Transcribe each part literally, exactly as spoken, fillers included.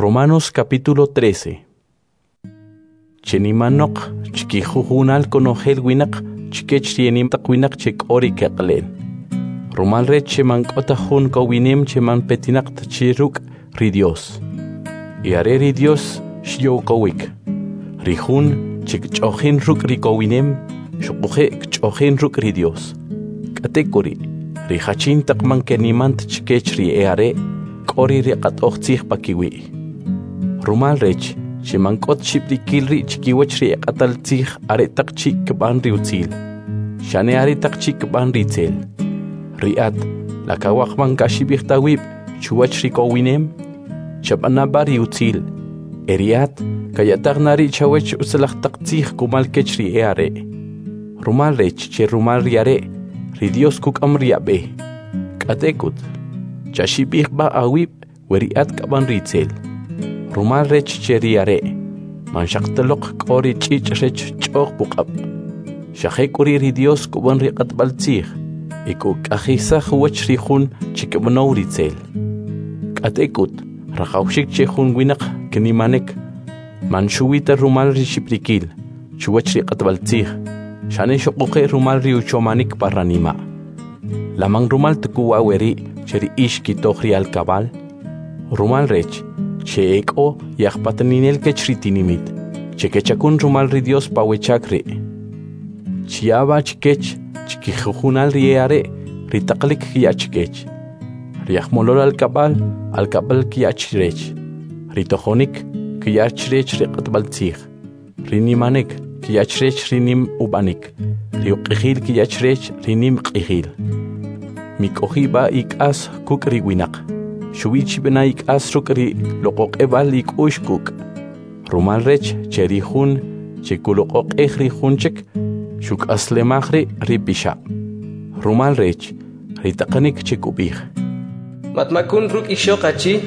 Romanos capítulo trece. Chenimanoq chkijujunal konojel winaq chkech ri enim taq winaq che k'o ri keqle'n. Rumal rech che man k'o ta jun kowinem che man petinaq ta chi ruk' ri Dios. Y are ri Dios xyo'wkowik. Ri jun che kch'o'jin ruk' ri kowinem, xuquje' kch'o'jin ruk' ri Dios. K'atek'uri', ri jachin taq man keniman ta chkech ri e'are', k'o ri q'atoj tzij pakiwi'. Rumal rech che man k'o ta xib'rikil ri' chikiwach ri e q'atal tzij aretaq chi' kb'an ri utzil, xane aretaq chi' kb'an ri itzel. Ri at, la kawaj man kaxib'ij ta awib' chuwach ri kowinem? Chab'ana b'a ri utzil, e ri at kaya'taj na ri' chawech utzalaj taq tzij kumal kech ri e'are'. Rumal rech che rumal ri are', ri Dios kuk'am ri ab'e. K'atek'ut, chaxib'ij b'a awib' we ri at kab'an ri itzel. Rumal rech che ri are', man xaq ta loq k'o ri ch'ich' rech ch'o'j puq'ab'. Xa jek'uri' ri Dios kub'an ri q'atb'al tzij, e kuk'ajisaj uwach ri jun che kb'anow ri itzel. K'atek'ut, rajawxik che jun winaq knimanik, man xuwi ta rumal ri xib'rikil chuwach ri q'atb'al tzij, xane xuquje' rumal ri uchomanik pa ranima'. La man rumal ta k'u wa weri' che ri ix kitoj ri alkab'al? Rumal rech che ek'o yajpataninel kech ri tinimit, che kechakun rumal ri Dios pa we chak ri'. Chiya'a b'a chkech chkijujunal ri e'are' ri taqalik kya' chkech. Ri ajmolol alkab'al, alkab'al kya' chrech. Ri tojonik kya' chrech ri q'atb'al tzij. Ri nimanik kya' chrech ri nim ub'anik. Ri uq'ijil kya' chrech ri nim q'ijil. Mik'oji b'a ik'as kuk' ri winaq. Xuwi chib'ana ik'as ruk' ri loq'oq'eb'al ik'u'x kuk'. Rumal rech che ri jun che kuloq'oq'ej ri jun chik, xuk'aslemaj ri' ri pixab'. Rumal rech ri taqanik che kub'ij: Matmakun ruk' ixoq achi,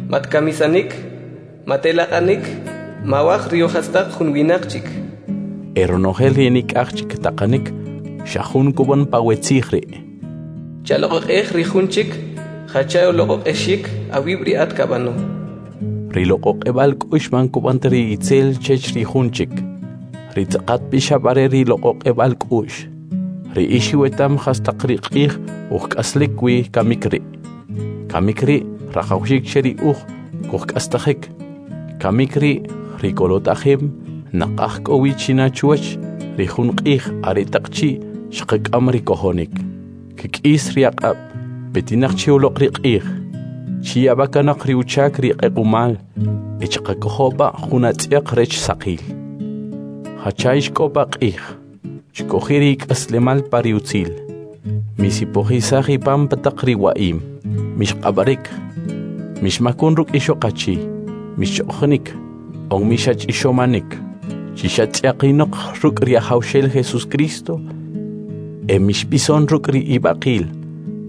matkamisanik, matelaq'anik, mawaj ri ujastaq jun winaq chik. E ronojel ri nik'aj chik taqanik xa jun kub'an pa we tzij ri'. Chaloq'oq'ej ri jun chik, jacha uloq'oq'exik awib' ri at kab'ano. Ri loq'oq'eb'al k'u'x man kub'an ta ri itzel chech ri jun chik. Ri tz'aqat pixab' are ri loq'oq'eb'al k'u'x. Ri ix iwetam jastaq ri q'ij uj k'aslik wi kamik ri'. Kamik ri' rajawxik che ri uj kujk'astajik. Kamik ri' ri kolotajem naqaj k'o wi china chuwach ri jun q'ij aretaq chi' xqak'am ri kojonik. Kk'is ri aq'ab', petinaq chi uloq ri q'ij. Chiya'a b'a kanoq ri uchak ri q'equmal, e chqakojo' b'a jun atz'yaq rech saqil. Jacha ix k'o pa q'ij, chk'oji' ri ik'aslemal pa ri utzil. Misipojisaj ipam pa taq ri wa'im, mixq'ab'arik, mixmakun ruk' ixoq achi, mixch'o'jinik, on mixach'ixomanik. Chixatz'yaqinoq ruk' ri Ajawxel Jesus Cristo, e mixb'ison ruk' ri ib'aqil,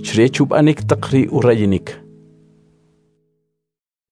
chrech ub'anik taq ri urayinik.